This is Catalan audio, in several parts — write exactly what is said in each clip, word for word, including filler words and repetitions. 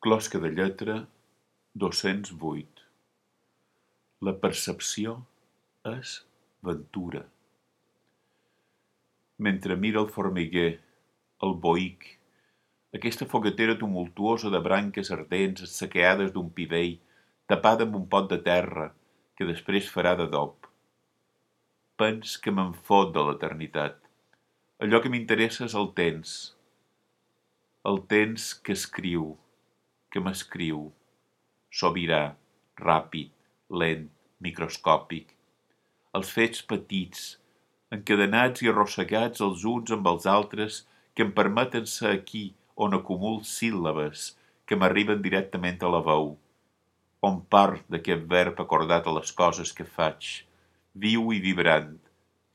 Closca de lletra dos-cents vuit. La percepció és ventura. Mentre mira el formiguer, el boïc, aquesta foguetera tumultuosa de branques ardents assequeades d'un pi vell, tapada amb un pot de terra que després farà d'adob. Pens que me'n fot de l'eternitat. Allò que m'interessa és el temps. El temps que escriu, que m'escriu, sobirà, ràpid, lent, microscòpic. Els fets petits, encadenats i arrossegats els uns amb els altres, que em permeten ser aquí on acumul síl·labes que m'arriben directament a la veu, on part d'aquest verb acordat a les coses que faig, viu i vibrant,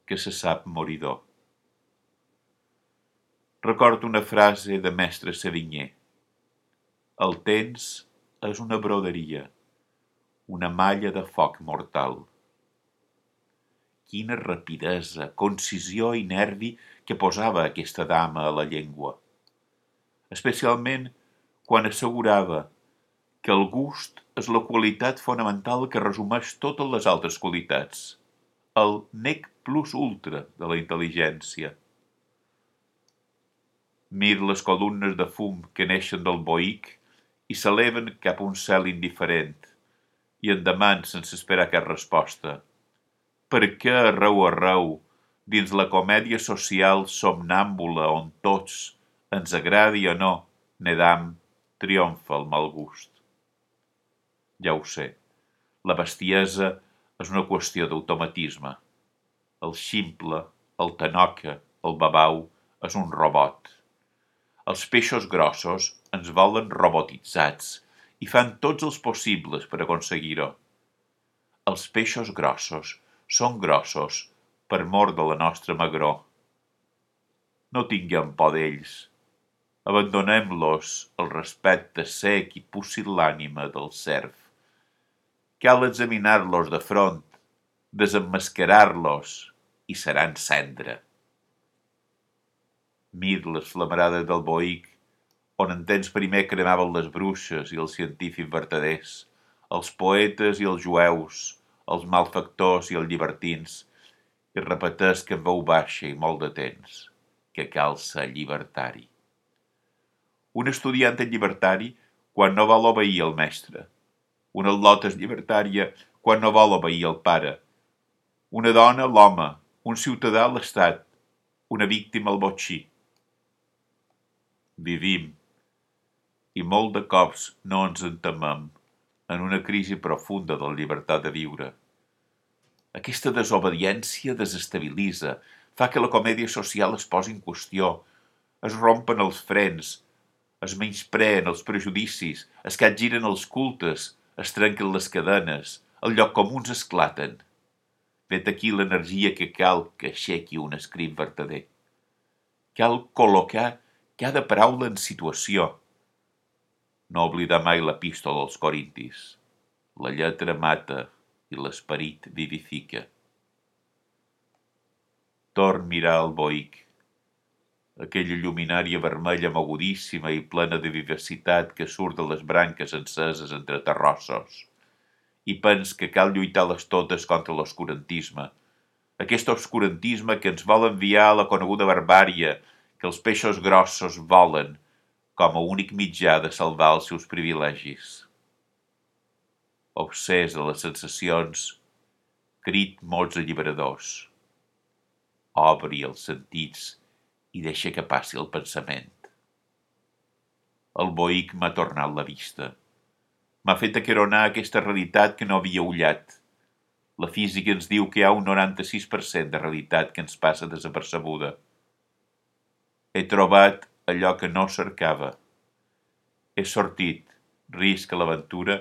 que se sap moridor. Recordo una frase de mestre Sévigné. El temps és una broderia, una malla de foc mortal. Quina rapidesa, concisió i nervi que posava aquesta dama a la llengua. Especialment quan assegurava que el gust és la qualitat fonamental que resumeix totes les altres qualitats, el nec plus ultra de la intel·ligència. Mir les columnes de fum que neixen del boïc i s'eleven cap a un cel indiferent, i en deman sense esperar cap resposta. Per què arreu arreu, dins la comèdia social somnàmbula on tots, ens agradi o no, nedam, triomfa el mal gust? Ja ho sé, la bestiesa és una qüestió d'automatisme. El ximple, el tanoca, el babau, és un robot. Els peixos grossos ens volen robotitzats i fan tots els possibles per aconseguir-ho. Els peixos grossos són grossos per mor de la nostra magror. No tinguem por d'ells. Abandonem-los el respecte sec i pusil·lànime del serf. Cal examinar-los de front, desemmascarar-los i seran cendra. Mir les flamarades del boïc, on en temps primer cremaven les bruixes i els científics vertaders, els poetes i els jueus, els malfactors i els llibertins, i repeteix que en veu baixa i molt de temps, que cal ser llibertari. Un estudiant és llibertari quan no vol obeir el mestre. Una al·lota és llibertària quan no vol obeir el pare. Una dona, l'home, un ciutadà, l'estat, una víctima, el botxí. Vivim, i molt de cops no ens entemem, en una crisi profunda de la llibertat de viure. Aquesta desobediència desestabilitza, fa que la comèdia social es posi en qüestió, es rompen els frens, es menyspreen els prejudicis, es capgiren els cultes, es trenquen les cadenes, els llocs comuns esclaten. Vet aquí l'energia que cal que aixequi un escrit vertader. Cal col·locar cada paraula en situació. No oblidar mai l'epístola als corintis. La lletra mata i l'esperit vivifica. Torn mirar el boïc, aquella lluminària vermella mogudíssima i plena de vivacitat que surt de les branques enceses entre terrossos, i pens que cal lluitar-les totes contra l'oscurantisme, aquest obscurantisme que ens vol enviar a la coneguda barbària, que els peixos grossos volen com a únic mitjà de salvar els seus privilegis. Obsès de les sensacions, crit mots alliberadors. Obri els sentits i deixa que passi el pensament. El boïc m'ha tornat la vista. M'ha fet aqueronar aquesta realitat que no havia ullat. La física ens diu que hi ha un noranta-sis per cent de realitat que ens passa desapercebuda. He trobat allò que no cercava. He sortit, risc a l'aventura,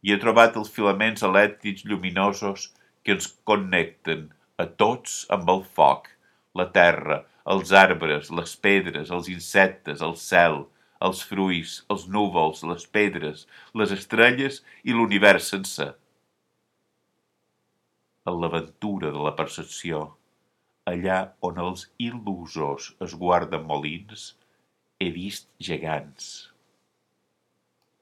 i he trobat els filaments elèctrics lluminosos que ens connecten a tots amb el foc, la terra, els arbres, les pedres, els insectes, el cel, els fruits, els núvols, les pedres, les estrelles i l'univers sencer. En l'aventura de la percepció, allà on els il·lusos es guarden molins, he vist gegants.